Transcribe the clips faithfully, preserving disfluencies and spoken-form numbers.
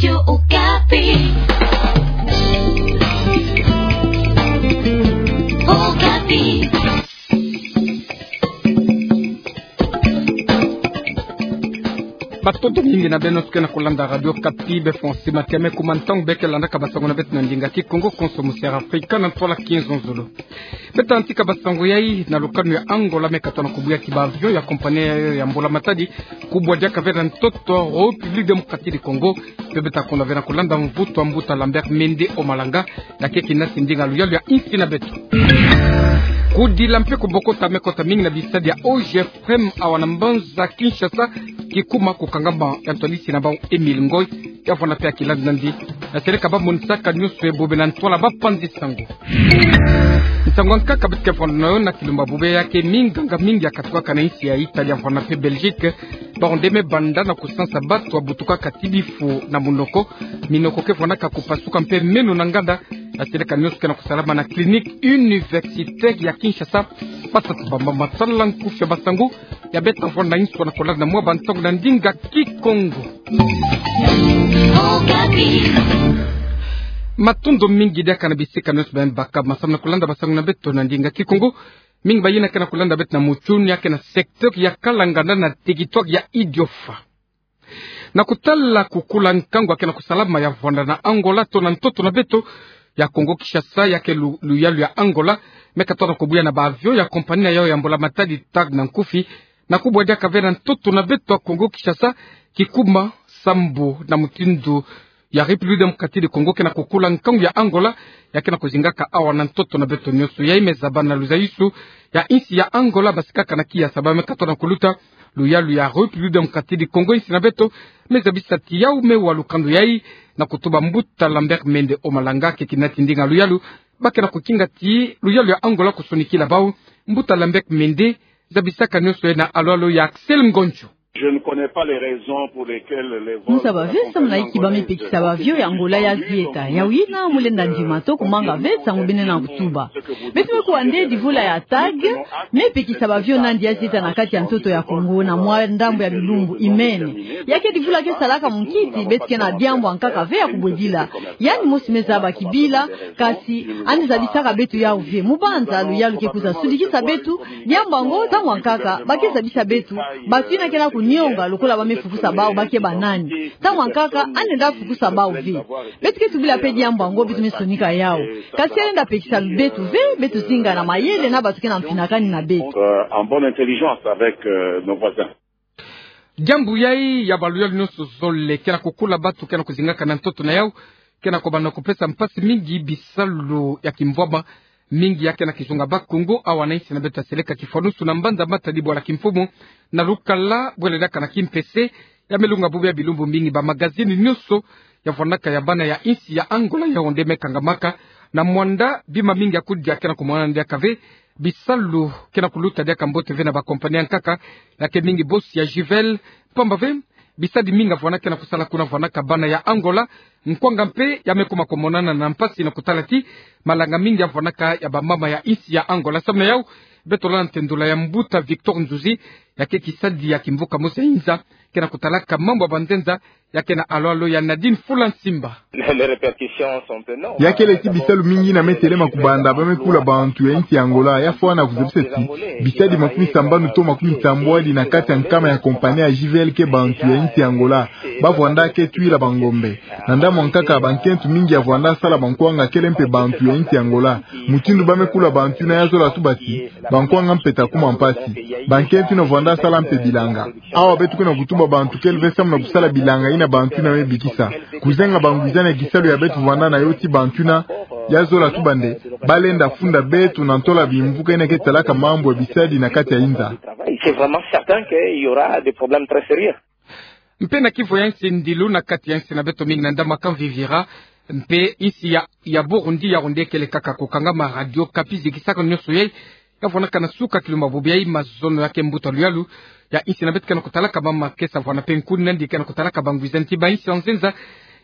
Radio Okapi. Okapi. Matondo mingi na beno nyonso ke na kulanda Radio Okapi, be fo nsi matiame kuma ntangu bê ke landaka basango na beto na ndinga Kikongo, konso mu Sierra Africa, na ntwala kinzonzolo. Beta ntika basango yai na lukanu ya Angola, me katona kubuya ki ba avion ya compagnie ya, ya mbula matadi, kubwa diaka ve na ntoto République Démocratique du Congo, pe beta kona ve na kulanda mvutu wa mbuta Lambert Mende Omalanga, ya ke kinasi ndinga luyalu ya insi na beto. Kudila mpe kubokota me kota mingi na bisadi ya O G F M awa na mbanza Kinshasa, kikuma kukangama ya ntwadisi na bau Émile Ngoy, ya vwanda mpe ya kilandi nandi, ya seleka ba monisaka nyonso ye bobe na ntwala ba panzi sango. Nsangu ya nkaka beto ke vwanda na yo na kilumba bobe ya ke minganga mingi ya katukaka na insi ya Italie, ya vwanda mpe Belgique, ba onde me banda na kusansa bato wa butukaka ti bifu na munoko, minoko ke vwandaka kupasuka mpe meno na nganda, ya seleka nyonso ke na kusalama na clinique universitaire ya Kinshasa, ba sansa bamba masala nkufi ya basango, ya beta vwanda inso na kolanda mwa bantangu na ndinga Kikongo. Matondo mingi diaka na bisika nyonso bê me baka masamu na kolanda basango na beto na ndinga Kikongo. Mingi bayina ke na kolanda beto na mutsunu ya ke na secteur ya Kalanganda na territoire ya Idiofa. Na kutala kukula nkangu ya ke na kusalama ya vwanda na Angola to na ntoto na beto ya Congo Kinshasa, ya ke lu-, luyalu ya Angola, me katona kubuya na ba avion ya compagnie na yau ya mbula matadi TAG na nkufi, na kubwa diaka ve na ntoto na beto ya Congo Kinshasa, kikuma sambu na mutindu ya République Démocratique du Congo ke na kukula nkangu ya Angola, ya ke na kuzingaka awa na ntoto na beto nyonso. Yai me zaba na luzayusu ya insi ya Angola, basikaka na kiasa ba me katona kuluta luyalu ya République Démocratique du Congo, insi na beto me zabisa ti yau me wa lukando yai na kutuba mbuta Lambert Mende Omalanga, ke kinati ndinga luyalu, ba ke na kukinga ti luyalu ya Angola kusonikila bau. Mbuta Lambert Mende, zabisaka nyonso ye na alo-alo ya Axel Ngonjo. Je ne connais pas les raisons pour lesquelles les vols... Nzaba ve samu na inki ba me pekisa ba avion ya Angola ya zieta. Yawu yina mu lenda ndima to kumanga ve nsangu bê nge na kutuba. Beto me kuwa nde divula ya TAG me pekisa ba avion nandi ya zieta na kati ya ntoto ya Congo na mwa ndambu ya bilumbu imene. Ya ke divula ke salaka munkisi, beto ke na diambu ya nkaka ve ya kubwedila. Yandi mosi me zaba kibila, kasi yandi zabisaka beto yawu ve. Mu banza luyalu ke kwiza sudikisa beto, diambu yango ntangu ya nkaka ba ke zabisa beto, bato yina ke na kunionga lokola ba me fukusa bawu ba ke banani. Ntangu ya nkaka yandi lenda fukusa bawu ve. Beto ke tubila mpe diambu yango, beto me sonika yawu. Kasi yandi lenda pekisa beto ve, beto zinga na mayele na bato ke na mfinakani na beto. Euh, en bonne intelligence avec, euh, nos voisins. Diambu yai ya baluyalu nyonso zole ke na kukula bato ke na kuzingaka na ntoto na yawu, ke na kobanda kupesa mpasi mingi bisalu ya kimvwama. Mingi ya ke na kizunga Bakongo awa na insi na beto ya seleka kifwanusu na mbanza Matadi bwala kimfumu, na lukala bwele diaka na kimpese. Ya me lunga bubu ya bilumbu mingi ba magazini nyonso ya vwandaka ya bana ya insi ya Angola ya onde me kangamaka, na mwanda bima mingi ya kudia ke na kumonana diaka ve. Bisalu ke na kuluta diaka mbote ve na ba compagnie ya nkaka, ya ke mingi bosi ya Juvel, pamba ve bisadi mingi ya vwanda ke na kusala kuna vwandaka bana ya Angola. Nkwanga mpe ya me kuma kumonana na mpasi na kutala ti malanga mingi ya vwandaka ya bamama ya insi ya Angola. Samu na yawu, beto landa ntendola ya mbuta Victor Nzuzi, ya ke kisadi ya kimvuka mosi ya inza ke na kutalaka mambu ya banzenza, ya ke na alo-alo ya Nadine Fulansimba. Les répercussions sont énormes. Ya kele ti bisalu mingi yina me telema kubanda ba me kula bantu ya insi ya Angola. Ya fwana kuzabisa ti bisadi makumi sambanu to makumi sambwadi na kati ya nkama ya compagnie ya Juvel ke bantu ya insi ya Angola. Ba vwanda ke twila bangombe. Na ndambu ya nkaka, bankento mingi ya vwanda sala bankwanga kele mpe bantu ya insi ya Angola. Mutindu ba me kula bantu yina ya zola tuba ti bankwanga mpe ta kuma mpasi. Bankento yina vwanda sala mpe bilanga. Awa beto ke na kutuba bantu kele ve samu na kusala bilanga yina bantu yina me bikisa. Kuzenga bangwizani ya kisalu ya beto vwanda na yo ti bantu yina ya zola tuba nde ba lenda funda beto na ntola bimvuka yina ke talaka mambu ya bisadi na kati ya inza. C'est vraiment certain qu'il y aura des problèmes très sérieux. Mpe na kivo ya insi ndilu na kati ya insi na beto mingi na ndambu ya Camvivira, mpe insi ya, ya Burundi ya onde kele kaka kukangama. Radio Okapi zikisaka nyonso yai, ya vwandaka na suka kilumba bobe yai mazono ya ke mbuta luyalu ya insi na beto ke na kutalaka mama kesa vwanda mpe nkuni nandi ke na kutalaka bangwizani ti ba insi ya nzenza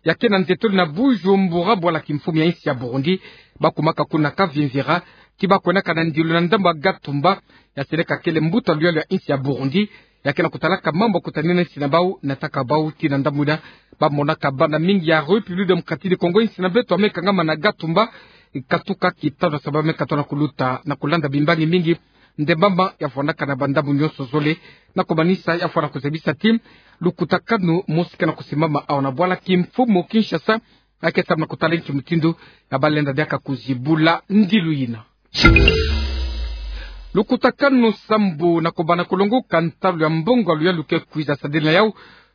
ya ke na nzetolo na Bujumbura bwala kimfumu ya insi ya Burundi. Ba kumaka kuna Camvivira ti ba kwenaka na ndilu na ndambu ya Gatumba, ya seleka kele mbuta luyalu ya insi ya Burundi. ya ke na kutalaka mambu ya kutanina insi na bau, na taka bau ti na ndambu ina, ba monaka bana mingi ya République Démocratique du Congo, insi na beto ya me kangama na Gatumba, katuka kitanu sababu ya me katona kuluta na kulanda bimbangi mingi, nde mama ya fwanaka na bandambu nyonso zole, na kumanisa ya fwana kuzabisa ti lukutakanu mosi ke na kusimama awa na bwala kimfumu Kinshasa, ya ke samu na kutala inki mutindu ya balenda diaka kuzibula ndilu ina. Lukutakanu sambu na kubana kulongoka ntalu ya mbongo ya luyalu ke kwiza sadila yau,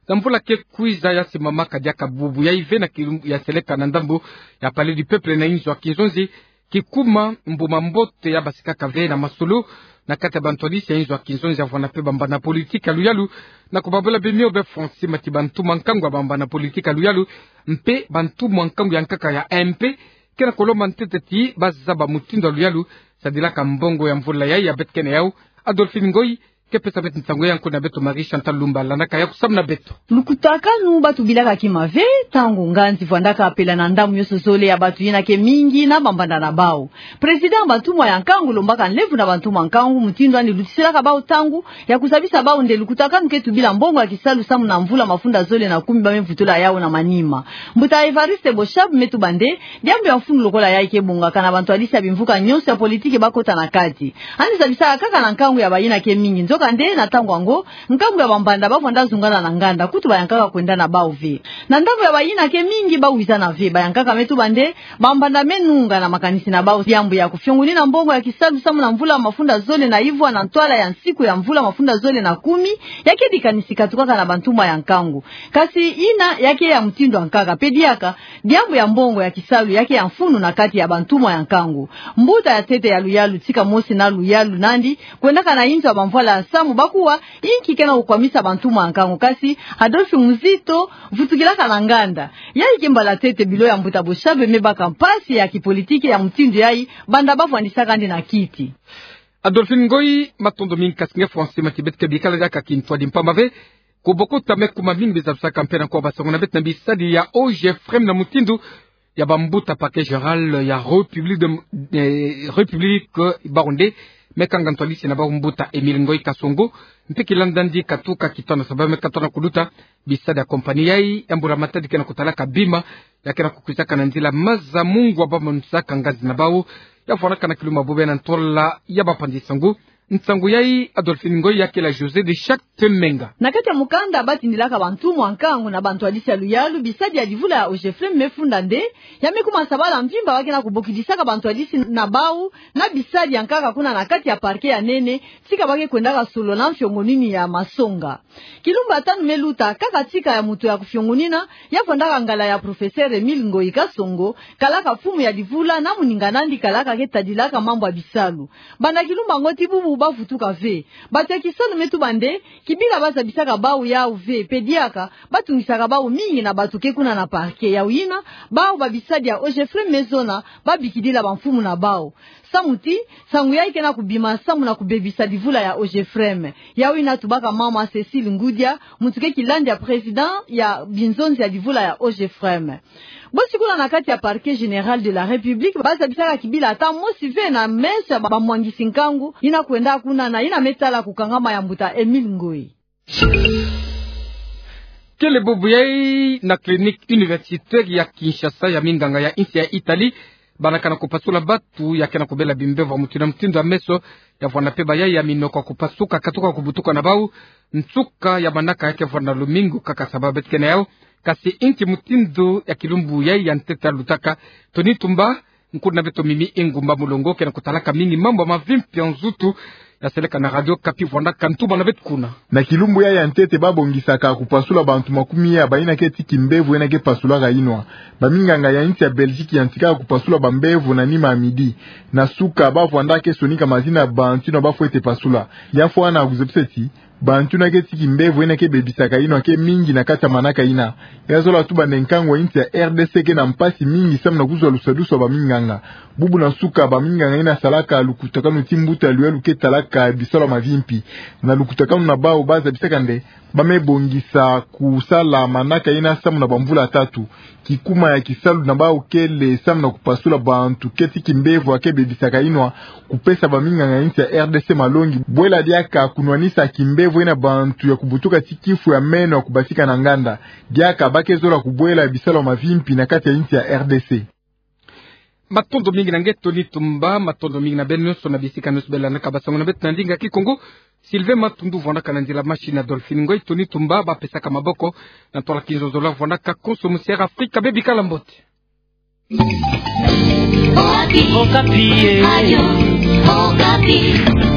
na mvula ke kwiza ya simamaka diaka bubu ya ive na kilumbu ya seleka na ndambu ya Palais du Peuple na inzo ya kinzonzi, kikuma mbuma mbote ya basikaka ve na masolo na kati ya bantwadisi ya inzo ya kinzonzi ya vwanda mpe bambanda politiki ya luyalu, na kubabula bimio be Francis Mati, bantumwa nkangu ya bambanda politiki ya luyalu, mpe bantumwa nkangu ya nkaka ya M P, ke na kulomba ntete ti bazaba mutindu ya luyalu sadilaka mbongo ya mvula yai ya beto kena yau. Adolphine Ngoyi ke pesa beto nsangu ya nko na beto Marie Chantal Lumba, landaka ya kusamu na beto. Lukutakanu batu bilaka kima ve, ntangu nganzi vwandaka pela na ndambu nyonso zole ya batu yina ke mingi na bambanda na bau. Président ya bantumwa ya nkangu lombaka nlemvo na bantumwa nkangu mutindu yandi lutisilaka bau ntangu ya kuzabisa bau nde lukutakanu ke tubila mbongo ya kisalu samu na mvula mafunda zole na kumi ba me vutula yau na manima. Mbuta Évariste Boshab me tuba nde diambu ya mfunu lokola yai ke bongaka na bantwadisi ya bimvuka nyonso ya politiki bakota na kati. Yandi zabisaka kaka na nkangu ya bayina ke mingi. Nzokande na ntangu yango, nkangu ya bambanda bavwanda zungana na nganda, kutu bayankaka kwenda na bau ve. Na ndambu ya bayina ke mingi bawizana ve, bayankaka me tuba nde bambanda me nunga na makanisi na bau diambu ya kufiongunina mbongo ya kisalu samu na mvula mafunda zole na ivwa na ntwala ya nsiku ya mvula mafunda zole na kumi, ya ke dikanisi katukaka na bantumwa ya nkangu. Kasi yina ya ke ya mutindu ya nkaka, mpe diaka diambu ya mbongo ya kisalu ya ke ya mfunu na kati ya bantumwa ya nkangu. Mbuta ya ntete ya luyalu tika mosi na luyalu nandi kwendaka na inzo ya bamvwala ya samu, bakuwa inki ke na kukwamisa bantumwa ya nkangu. Kasi Adolphe Muzito vutukilaka na nganda. Yai ke mbala ntete bilo ya mbuta Boshab me baka mpasi ya kipolitiki ya mutindu yai, banda bavwandisaka yandi na kiti. Adolphine Ngoyi, matondo mingi. Kasi nge Francis Mati, beto ke bikala diaka kintwadi mpamba ve, ko bokota me kuma mingi biza lusaka mpe na ko basongo na beto na bisadi ya OGFREM na mutindu ya bambuta Parquet Général ya République de, eh, République, eh, Burundi, me kanga ntwadisi na bau mbuta Émile Ngoyi Kasongo, mpe kilanda ndi katuka kitanu sababu me katona kuluta bisadi ya compagnie yai ya mbula matadi ke na kutalaka bima ya ke na kukwizaka na nzila maza mungwa ba manisaka nganzi na bau ya fwanaka na kilumbu ya bobena ntola ya bapanzi nsangu. Nsangu yai Adolphine Ngoyi, ya kele José de Chacte Menga. Na kati ya mukanda batindilaka bantumwa nkangu na bantwadisi ya luyalu, bisadi ya divula ya OGFREM me funda nde ya me kuma sabala mvimba ba ke na kubokidisaka bantwadisi na bau na bisadi ya nkaka kuna na kati ya parquet ya nene, tika ba ke kwendaka solola mfiongonini ya masonga. Kilumbu ya tanu me luta, kaka tika ya moto ya kufiongonina ya vwandaka ngala ya professeur Émile Ngoyi Kasongo, kalaka mfumu ya divula na moninga nandi kalaka ke tadilaka mambu ya bisalu. Banda kilumbu yango tii bubu bavutuka ve. Batu ya kisalu me tuba nde kibila bazabisaka bau yau ve, mpe diaka batungisaka bau mingi na batu ke kuna na parquet. Yau yina, bau babisadi ya OGFREM me zona babikidila bamfumu na bau. Samu ti nsangu yai ke na kubima samu na kubebisa divula ya OGFREM. Yau yina tubaka mama Cécile Ngoudia, muntu ke kilandi ya président ya binzonzi ya divula ya OGFREM. Bosi kuna na kati ya Parquet Général de la République bazabisaka kibila ata mosi ve na meso ya ba-, bamwangisi nkangu yina kwenda kuna na yina me tala kukangama ya mbuta Émile Ngoyi. Kele bubu yai na clinique universitaire ya Kinshasa ya minganga ya insi ya Italie, bana ke na kupasula batu ya ke na kubela bimbevo ya mutindu na mutindu ya meso, ya vwanda mpe bayai ya minoko ya kupasuka katuka kubutuka na bau, nsuka ya manaka ya ke vwanda lumingu kaka sababu beto ke na yau. Kasi inki mutindu ya kilumbu yai ya ntete ya lutaka? Tony Tumba, nkulu na beto Mimi Engumba Mulongo, ke na kutalaka mingi mambu ya mavimpi ya nzutu ya seleka na Radio Okapi, vwandaka ntuma na beto kuna. Na kilumbu yai ya ntete babongisaka kupasula bantu makumi ya bayina ke tii kimbevo yina ke pasulaka inwa. Baminganga ya insi ya Belgique yantikaka kupasula bambevo na nima ya midi. Na suka bavwandaka ke sonika mazina ya bantu yina bafwete pasula. Ya fwana kuzebisa ti bantu yina ke tii kimbevo yina ke bebisaka inwa ke mingi na kati ya manaka yina. Ya zola tuba nde nkangu ya insi ya R D C ke na mpasi mingi samu na kuzwa lusadusu ya baminganga. Bubu na suka baminganga yina salaka lukutakanu ti mbuta ya luyalu ke talaka bisalu ya mavimpi. Na lukutakanu na bau bazabisaka nde ba me bongisa kusala manaka yina samu na bamvula tatu. Kikuma ya kisalu na bau kele samu na kupasula bantu ke tii kimbevo ya ke bebisaka inwa, kupesa baminganga ya insi ya R D C malongi bwela diaka kunwanisa kimbevo Vwena bantu ya kubutuka ti kifu ya meno ya kubasika na nganda. Diaka ba ke zola kubwela bisalu ya mavimpi na kati ya insi ya R D C. Matondo mingi na nge Tony Tumba, matondo mingi na beno nyonso na bisika nyonso beno landaka basango na beto na ndinga Kikongo. Sylvain Matundu vwandaka na nzila machine, Adolphine Ngoy, Tony Tumba ba pesaka maboko na ntwala kinzonzolo, vwandaka konso musiara Afrika, beno bikala mbote. Okapi. Okapi, eh. Radio Okapi.